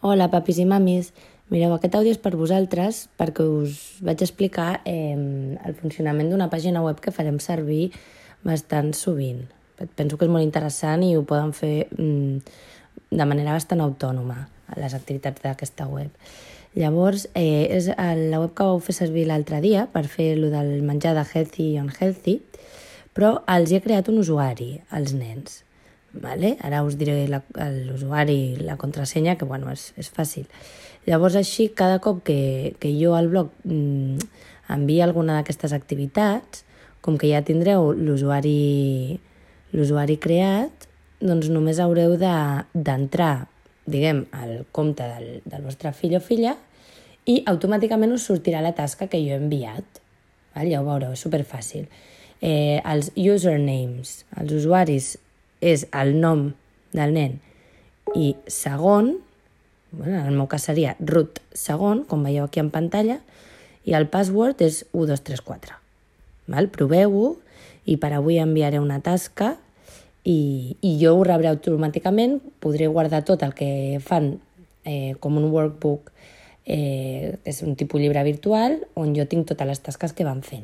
Hola, papis i mamis. Mireu, aquest àudio és per vosaltres perquè us vaig explicar el funcionament d'una pàgina web que farem servir bastant sovint. Penso que és molt interessant i ho poden fer de manera bastant autònoma, les activitats d'aquesta web. Llavors, és la web que vau fer servir l'altre dia per fer lo del menjar de healthy i unhealthy, però els he creat un usuari, als nens. Vale? Ara us diré l'usuari i la contrasenya, que bueno, és fàcil. Llavors així, cada cop que jo al blog envia alguna d'aquestes activitats, com que ja tindreu l'usuari creat, doncs només haureu d'entrar, diguem, al compte del vostre fill o filla i automàticament us sortirà la tasca que jo he enviat. Vale? Ja ho veureu, és superfàcil. Els usernames, els usuaris, és el nom del nen i segon, bueno, en el meu cas seria root segon, com veieu aquí en pantalla, i el password és 1234. Val? Proveu-ho i per avui enviaré una tasca i jo ho rebré automàticament, podré guardar tot el que fan com un workbook, és un tipus llibre virtual on jo tinc totes les tasques que van fent.